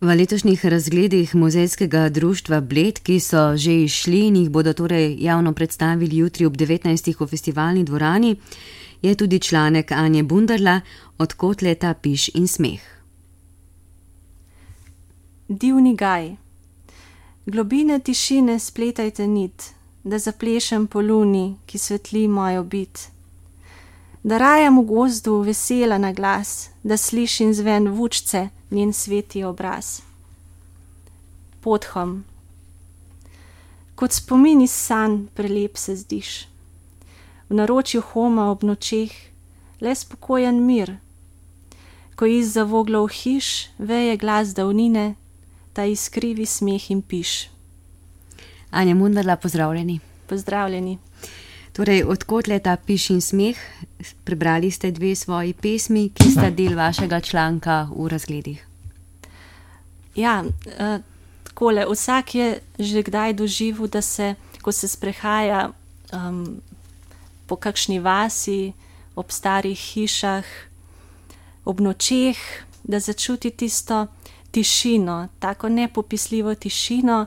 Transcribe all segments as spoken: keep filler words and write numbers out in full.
V letošnjih razgledih Muzejskega društva Bled, ki so že izšli in jih bodo torej javno predstavili jutri ob devetnajstih v festivalni dvorani, je tudi članek Anje Bunderla Od kotleta, piš in smeh. Divni gaj. Globine tišine spletajte nit, da zaplešem po luni, ki svetli mojo bit. Da rajam v gozdu vesela na glas, da slišim zven vučce, njen sveti obraz. Podhom. Kot spomin iz sanj prelep se zdiš. V naročju homa ob nočeh le spokojen mir. Ko iz zavoglov hiš veje glas davnine, ta iskrivi smeh in piš. Anja Bunderla, pozdravljeni. Pozdravljeni. Torej, Od kotleta, piš in smeh, prebrali ste dve svoji pesmi, ki sta del vašega članka v razgledih. Ja, eh, takole, vsak je že kdaj doživel, da se, ko se sprehaja um, po kakšni vasi, ob starih hišah, ob nočeh, da začuti tisto tišino, tako nepopisljivo tišino,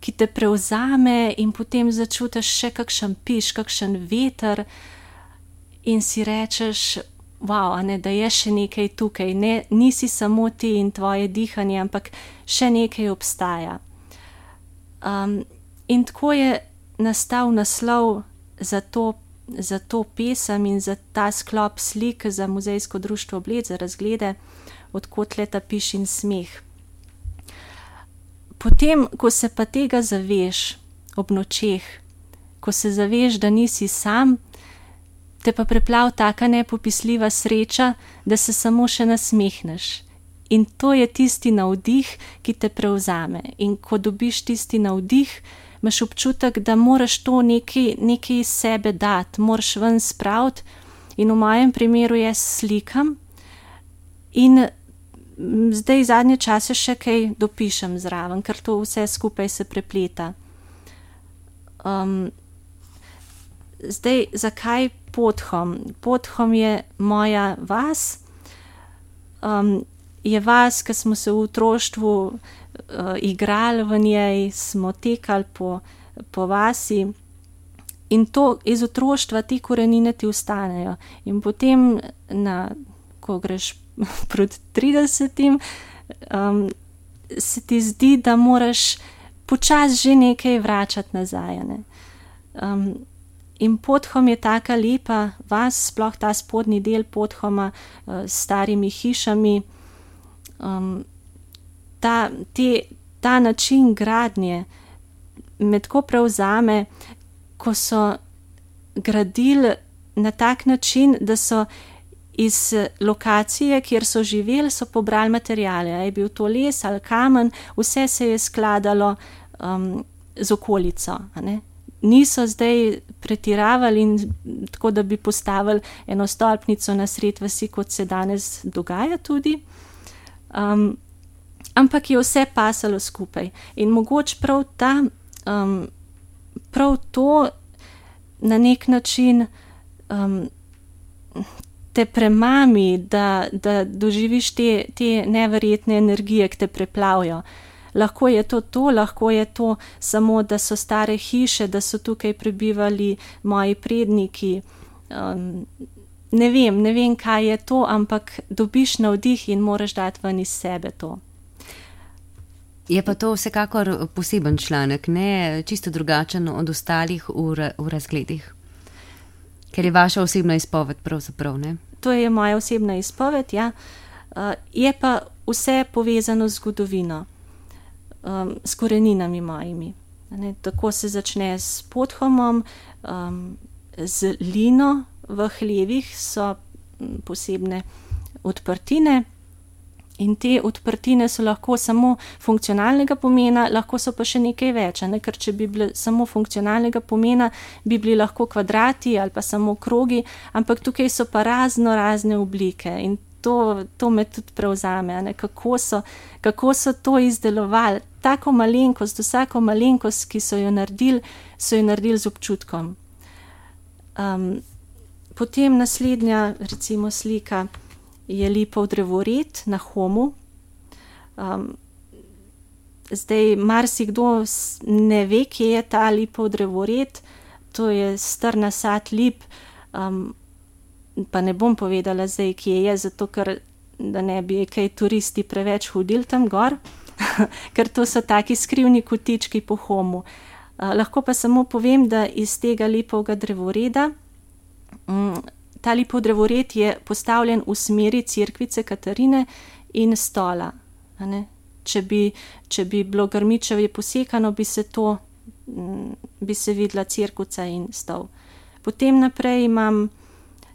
ki te prevzame in potem začutiš še kakšen piš, kakšen veter in si rečeš, wow, a ne, da je še nekaj tukaj, ne, nisi samo ti in tvoje dihanje, ampak še nekaj obstaja. Um, in tako je nastal naslov za to, za to pesem in za ta sklop slik za Muzejsko društvo Bled, za razglede Od kotleta, piš in smeh. Potem, ko se pa tega zaveš ob nočeh, ko se zaveš, da nisi sam, te pa preplav taka nepopisljiva sreča, da se samo še nasmehneš. In to je tisti navdih, ki te prevzame. In ko dobiš tisti navdih, imaš občutek, da moraš to nekaj, nekaj iz sebe dati, moraš ven spraviti. In v mojem primeru jaz slikam in zdaj zadnje čase še kaj dopišem zraven, ker to vse skupaj se prepleta. Um, zdaj, zakaj Podhom? Podhom je moja vas, um, je vas, ki smo se v otroštvu uh, igrali v njej, smo tekali po, po vasi in to iz otroštva te korenine ti ostanejo. In potem, na, ko greš proti tridesetim, um, se ti zdi, da moraš počasi že nekaj vračati nazaj. Ne? Um, in Podhom je taka lepa vas, sploh ta spodnji del Podhoma uh, s starimi hišami. Um, ta, te, ta način gradnje me tako prevzame, ko so gradili na tak način, da so iz lokacije, kjer so živeli, so pobrali materijale. Je bil to les ali kamen, vse se je skladalo um, z okolico. A ne? Niso zdaj pretiravali in tako, da bi postavili eno stolpnico na sred vasi, kot se danes dogaja tudi. Um, ampak je vse pasalo skupaj. In mogoče prav ta, um, prav to na nek način um, te premami, da, da doživiš te, te neverjetne energije, ki te preplavijo. Lahko je to to, lahko je to samo, da so stare hiše, da so tukaj prebivali moji predniki. Um, ne vem, ne vem, kaj je to, ampak dobiš navdih in moraš dati ven iz sebe to. Je pa to vsekakor poseben članek, ne čisto drugačen od ostalih v, v razgledih. Ker je vaša osebna izpoved pravzaprav, ne? To je moja osebna izpoved, ja. Uh, je pa vse povezano z zgodovino, um, s koreninami mojimi. Ne? Tako se začne s Podhomom, um, z lino v hlevih so posebne odprtine. In te odprtine so lahko samo funkcionalnega pomena, lahko so pa še nekaj več, ne? Ker če bi bile samo funkcionalnega pomena, bi bili lahko kvadrati ali pa samo krogi, ampak tukaj so pa razno razne oblike in to, to me tudi prevzame, ne? Kako so, kako so to izdelovali, tako malenkost, vsako malenkost, ki so jo naredili, so jo naredili z občutkom. Um, potem naslednja, recimo slika, je lipov drevored na Homu. Um, zdaj marsikdo ne ve, kje je ta lipov drevored, to je star nasad lip, um, pa ne bom povedala zdaj, kje je, zato ker da ne bi kaj turisti preveč hodili tam gor, ker to so taki skrivni kotički po Homu. Uh, lahko pa samo povem, da iz tega lipovega drevoreda, um, ta lipov drevored je postavljen v smeri cerkvice Katarine in stola. A ne? Če bi, če bi bilo grmičevje posekano, bi se to, bi se videla cerkvica in stol. Potem naprej imam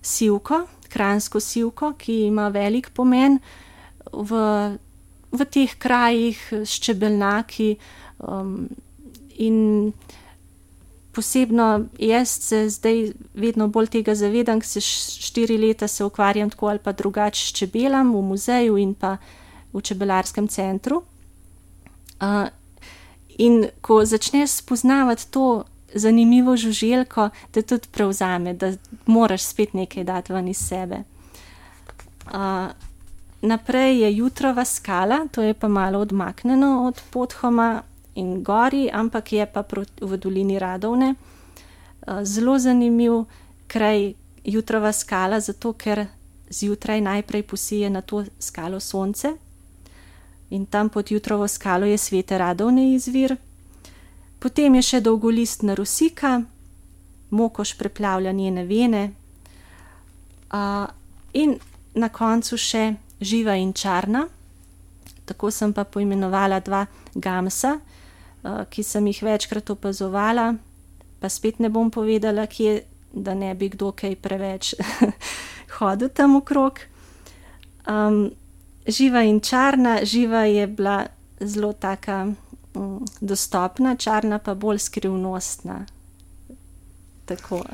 sivko, kranjsko sivko, ki ima velik pomen v, v teh krajih s čebelnjaki, um, in posebno jaz se zdaj vedno bolj tega zavedam, ker se štiri leta se ukvarjam tako ali pa drugače s čebelam v muzeju in pa v čebelarskem centru. Uh, in ko začneš spoznavati to zanimivo žuželko, te tudi prevzame, da moraš spet nekaj dati ven iz sebe. Uh, naprej je Jutrova skala, to je pa malo odmaknjeno od Podhoma in gori, ampak je pa v dolini Radovne. Uh, zelo zanimiv kraj Jutrova skala, zato ker zjutraj najprej posije na to skalo sonce in tam pod Jutrovo skalo je Svete Radovne izvir. Potem je še dolgolistna rosika, mokoš preplavlja njene vene, uh, in na koncu še živa in čarna. Tako sem pa poimenovala dva gamsa, uh, ki sem jih večkrat opazovala, pa spet ne bom povedala, kje, da ne bi kdo kaj preveč hodil tam okrog. Um, živa in čarna, živa je bila zelo taka um, dostopna, čarna pa bolj skrivnostna. Tako.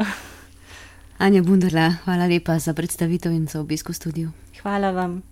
Anja Bunderla, hvala lepa za predstavitev in za obisk v studiu. Hvala vam.